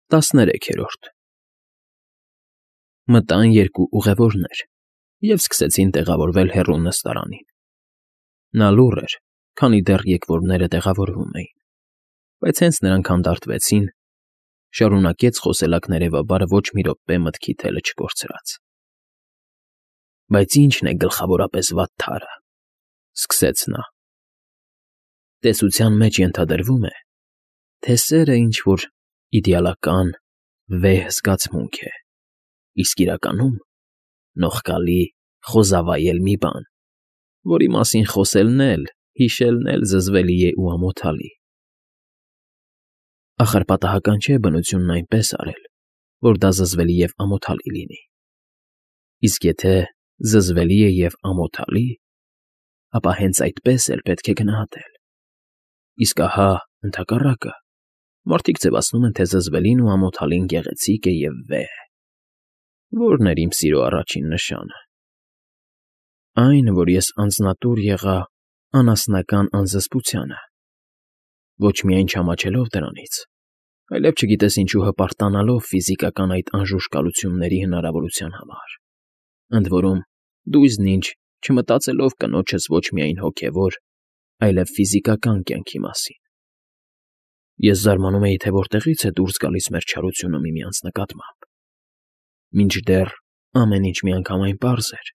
13-րդ Մտան երկու ուղևորներ և սկսեցին տեղավորվել հեռու նստարանին. նա լուռ էր, քանի դեռ եկվորները տեղավորվում էին, բայց հենց նրանք հանդարտվեցին, շարունակեց խոսելակներևաբար ոչ մի րոպե մտքի թելը չկորցրած. Բայց ի՞նչն է գլխավորապես վատթարը, սկսեց նա. տեսության մեջ ենթադրվում է, թե սերը ինչ-որ իդեալական, վեհ զգացմունք է, իսկ իրականում նողկալի, խոզավայել մի բան, որի մասին խոսելն էլ, հիշելն էլ զզվելի է ու ամոթալի. ախր պատահական չէ բնությունն այնպես արել, որ դա զզվելի և ամոթալի լինի, իսկ եթե զզվելի է և ամոթալի, ապա հենց այդպես էլ պետք է գնահատել, իսկ ահա, ընդհակառակը, մարդիկ ձևացնում են, թե զզվելին ու ամոթալին գեղեցիկ է և վեհ. ո՞րն էր իմ սիրո առաջին նշանը. այն, որ ես անձնատուր եղա անասնական անզսպությանը, ոչ միայն չամաչելով դրանից, այլև չգիտես ինչու հպարտանալով ֆիզիկական այդ անժուշկալությունների հնարավորության համար, ընդ որում դու իզնինչ չմտածելով կնոջս ոչ միայն հոգևոր, այլև ֆիզիկական կյանքի մասին. Ես զարմանում էի, թե որտեղից է դուրս գալիս մեր չարությունը միմյանց նկատմամբ, մինչդեռ ամեն ինչ միանգամայն պարզ էր.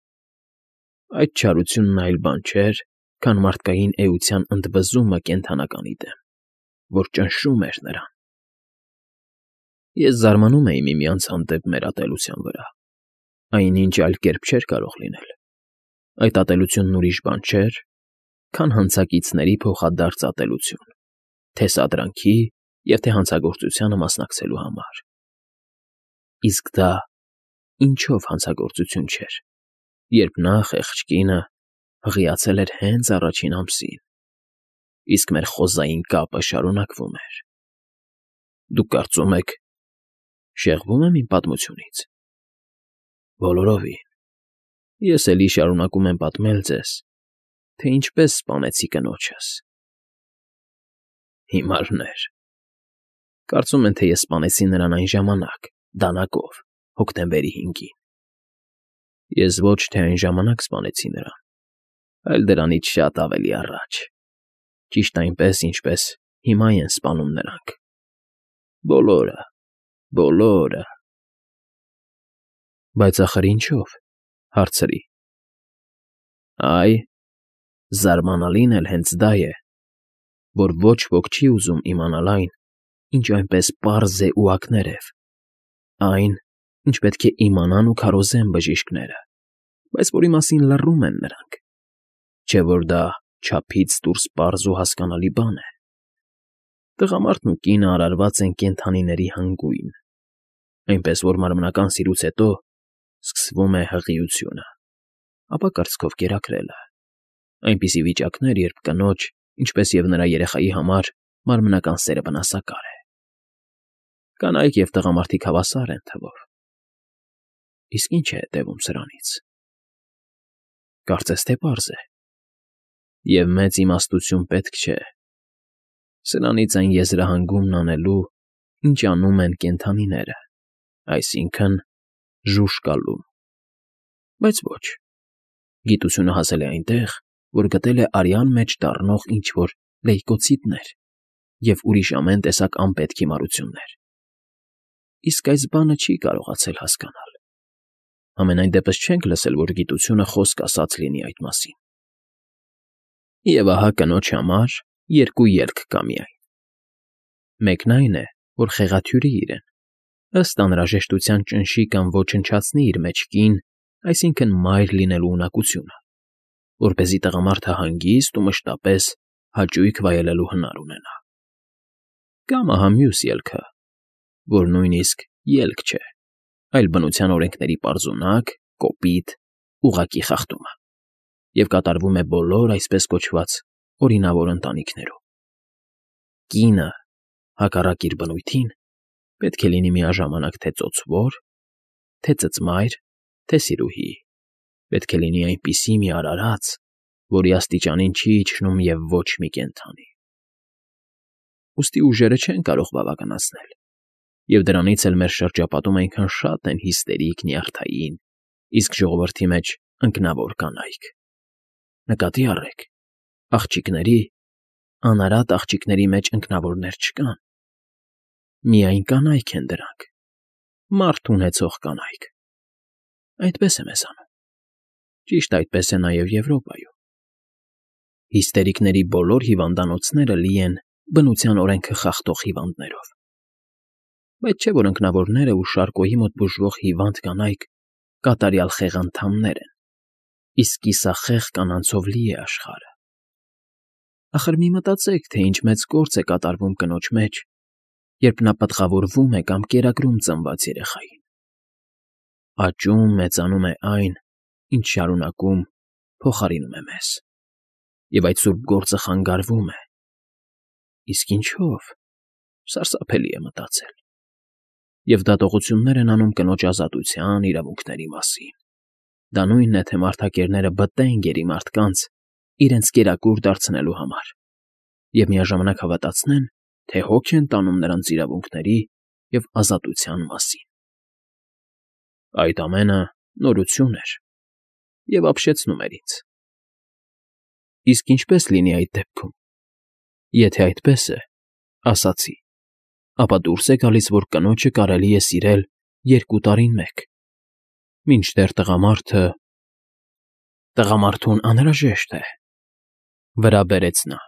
այդ չարությունն այլ բան չէր, քան մարդկային էության ընդվզումը կենդանականի դեմ, որ ճնշում էր նրան. Ես զարմանում էի միմյանց հանդեպ մեր ատելության վրա, այնինչ այլ կերպ չէր կարող լինել, այդ ատելությունն ուրիշ բան չէր, քան հանցակիցների փոխադարձ ատելություն, թե սադրանքի և թե հանցագործությանը մասնակցելու համար, իսկ դա ինչով հանցագործություն չէր, երբ նա, խեղճ կինը, հղիացել էր հենց առաջին ամսին, իսկ մեր խոզային կապը շարունակվում էր. Դուք կարծում եք, շեղվո՞ւմ եմ իմ պատմությունից. բոլորովին, ես էլի շարունակում եմ պատմել ձեզ, թե ինչպես սպանեցի կնոջս. Հիմարներ, կարծում են, թե ես սպանեցի նրան այն ժամանակ, դանակով, հոկտեմբերի 5-ին. Ես ոչ թե այն ժամանակ սպանեցի նրան, այլ դրանից շատ ավելի առաջ, ճիշտ այնպես, ինչպես հիմա են սպանում նրանք, բոլորը. Բայց ախր ինչո՞վ, հարցրի. Այ, զարմանալին էլ հենց դա է, որ ոչ ոք չի ուզում իմանալ այն, ինչ այնպես պարզ է ու ակներև, այն, ինչ պետք է իմանան ու քարոզեն բժիշկները, բայց որի մասին լռում են նրանք, չէ՞ որ դա չափից դուրս պարզ ու հասկանալի բան է. տղամարդն ու կինը արարված են կենդանիների հանգույն, այնպես որ մարմնական սիրուց հետո սկսվում է հղիությունը, ապա կրծքով կերակրելը, այնպիսի վիճակներ, երբ կնոջ, ինչպես և նրա երեխայի համար մարմնական սերը վնասակար է. կանայք և տղամարդիկ հավասար են թվով, իսկ ի՞նչ է հետևում սրանից. Կարծես թե պարզ է, և մեծ իմաստություն պետք չէ, սրանից այն եզրահանգումն անելու, ինչ անում են կենդանիները, այսինքն՝ ժուժկալում, բայց ոչ, գիտությունը հասել է այնտեղ, որ գտել է արյան մեջ դառնող ինչ-որ լեյկոցիտներ և ուրիշ ամեն տեսակ անպետք հիմարություններ, իսկ այս բանը չի կարողացել հասկանալ, համենայն դեպս չենք լսել, որ գիտությունը խոսք ասած լինի այդ մասին. Եվ ահա կնոջ համար երկու ելք կա միայն. մեկն այն է, որ խեղաթյուրի իրեն, ըստ անհրաժեշտության ճնշի կամ ոչնչացնի իր մեջքին, այսինքն մայր լինելու ունակությունը, որպեսզի տղամարդը հանգիստ ու մշտապես հաճույք վայելելու հնար ունենա, կամ ահա մյուս ելքը, որ նույնիսկ ելք չէ, այլ բնության օրենքների պարզունակ, կոպիտ, ուղղակի խախտումը, և կատարվում է բոլոր այսպես կոչված օրինավոր ընտանիքներում. կինը, հակառակ իր բնույթին, պետք է լինի միաժամանակ թե ծոցվոր, թե ծծմայր, թե սիրուհի, պետք է լինի այնպիսի մի արարած, որի աստիճանին չի իջնում և ոչ մի կենդանի. ուստի ուժերը չեն կարող բավականացնել, Եվ դրանից էլ մեր շրջապատում այնքան շատ են հիստերիկ, նյարդային, իսկ ժողովրդի մեջ ընկնավոր կանայք։ Նկատի առեք, աղջիկների, անարատ աղջիկների մեջ ընկնավորներ չկան։ Միայն կանայք են դրանք, մարդ ունեցող կանայք։ Այդպես է մեզ անում։ Ճիշտ այդպես է նաև Եվրոպայում։ Հիստերիկների բոլոր հիվանդանոցները լի են բնության օրենքը խախտող հիվանդներով։ Բայց չէ՞ որ ընկնավորները ու շարկոյի մոտ բուժվող հիվանդ կանայք կատարյալ խեղանդամներ են, իսկ կիսախեղ կանանցով լի է աշխարհը։ Ախր մի մտածեք, թե ինչ մեծ գործ է կատարվում կնոջ մեջ, երբ նա պտղավորվում է կամ կերակրում ծնված երեխային։ Աճում, մեծանում է այն, ինչ շարունակում, փոխարինում է մեզ։ Եվ այդ սուրբ գործը խանգարվում է։ Իսկ ինչո՞վ։ Սարսափելի է մտածել։ Եվ դատողություններ են անում կնոջ ազատության, իրավունքների մասին։ Դա նույնն է, թե մարդակերները բտեն գերի մարդկանց իրենց կերակուր դարձնելու համար և միաժամանակ հավատացնեն, թե հոգ են տանում նրանց իրավունքների և ազատության մասին։ Այդ ամենը նորություն էր և ապշեցնում էր ինձ։ Իսկ ինչպե՞ս լինի այդ դեպքում։ Եթե այդպես է, ասացի, ապա դուրս է գալիս, որ կնոջը կարելի է սիրել 2 տարին մեկ, մինչդեռ տղամարդուն անհրաժեշտ է, վրա բերեց նա,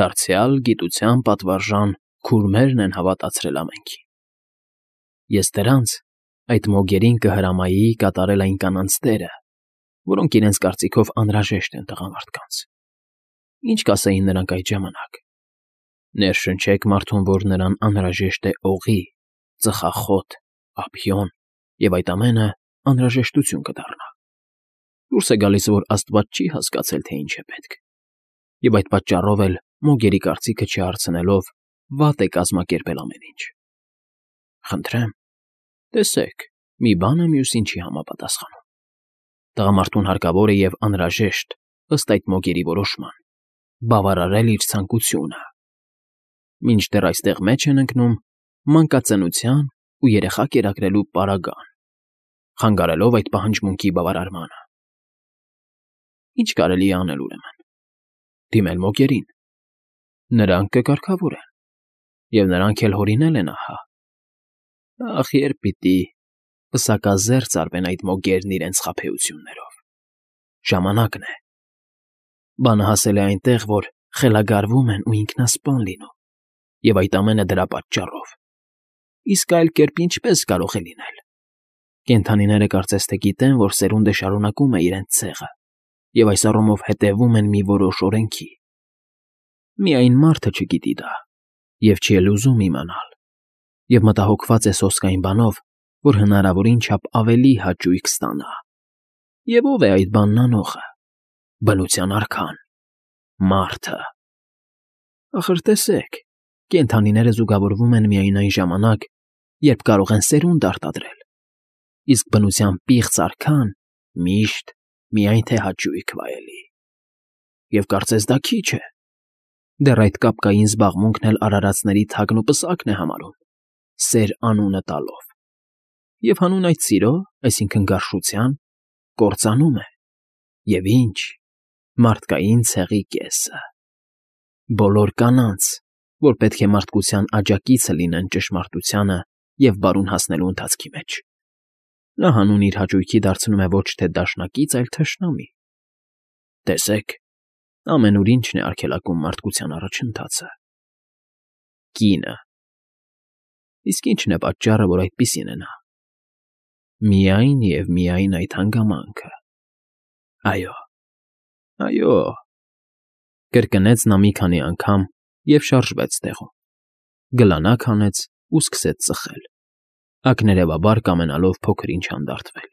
դարձյալ գիտության պատվարժան քուրմերն են հավատացրել ամենքին։ Ես դրանց, այդ մոգերին կհրամայի կատարել այն կանանց դերը, որոնք իրենց կարծիքով անհրաժեշտ են տղամարդկանց։ Ինչ կասեին նրանք այդ ժամանակ։ Ներշնչեք մարդուն, որ նրան անհրաժեշտ է օղի, ծխախոտ, ափիոն, և այդ ամենը անհրաժեշտություն կդառնա։ Դուրս է գալիս, որ Աստված չի հասկացել, թե ինչ է պետք, և այդ պատճառով էլ մոգերի կարծիքը չհարցնելով վատ է կազմակերպել ամեն ինչ։ Խնդրեմ, տեսեք, մի բանը մյուսին չի համապատասխանում։ Տղամարդուն հարկավոր է և անհրաժեշտ, ըստ այդ մոգերի որոշման, բավարարել իր ցանկությունը։ Մինչդեռ այստեղ մեջ են ընկնում մանկածնության ու երեխա կերակրելու պարագան, խանգարելով այդ պահանջմունքի բավարարմանը։ Ինչ կարելի է անել ուրեմն։ Դիմել մոգերին։ Նրանք կկարգավորեն, և նրանք էլ հորինել են ահա։ Ախ, երբ պիտի պսակազերծ արվեն այդ մոգերն իրենց խաբեություններով։ Ժամանակն է։ Բանը հասել է այնտեղ, որ խելագարվում են ու ինքնասպան լինում, և այդ ամենը դրա պատճառով։ Իսկ այլ կերպ ինչպե՞ս կարող է լինել։ Կենդանիները կարծես թե գիտեն, որ սերունդը շարունակում է իրենց ցեղը, և այս առումով հետևում են մի որոշ օրենքի։ Միայն մարդը չգիտի դա, և չի էլ ուզում իմանալ, և մտահոգված է սոսկային բանով, որ հնարավորին չափ ավելի հաճույք ստանա։ Եվ ո՞վ է այդ բանն անողը։ Բնության արքան՝ մարդը։ Ախր տեսեք, կենդանիները զուգավորվում են միայն այն ժամանակ, երբ կարող են սերունդ արտադրել, իսկ բնության պիղծ արքան միշտ միայն թե հաճույք վայելի։ Եվ կարծես դա քիչ է։ Դեռ այդ կապկային զբաղմունքն էլ արարածների թագն ու պսակն է համարում, սեր անունը տալով։ Եվ հանուն այդ սիրո, այսինքն գարշության, կործանում է։ Եվ ինչ, մարդկային ցեղի կեսը։ Բոլոր կանանց, որ պետք է մարդկության աջակիցը լինեն ճշմարտությանը և բարուն հասնելու ընթացքի մեջ։ Նա հանուն իր հաճույքի դարձնում է ոչ թե դաշնակից, այլ թշնամի։ Տեսեք, ամենուր ինչն է արգելակում մարդկության առաջընթացը։ Կինը։ Իսկ ի՞նչն է պատճառը, որ այդպիսին է նա։ Միայն և միայն այդ հանգամանքը։ Այո, այո, կրկնեց նա մի քանի անգամ և շարժվեց տեղում, գլանակ հանեց ու սկսեց ծխել, ակներևաբար կամենալով փոքր ինչ հանդարտվել։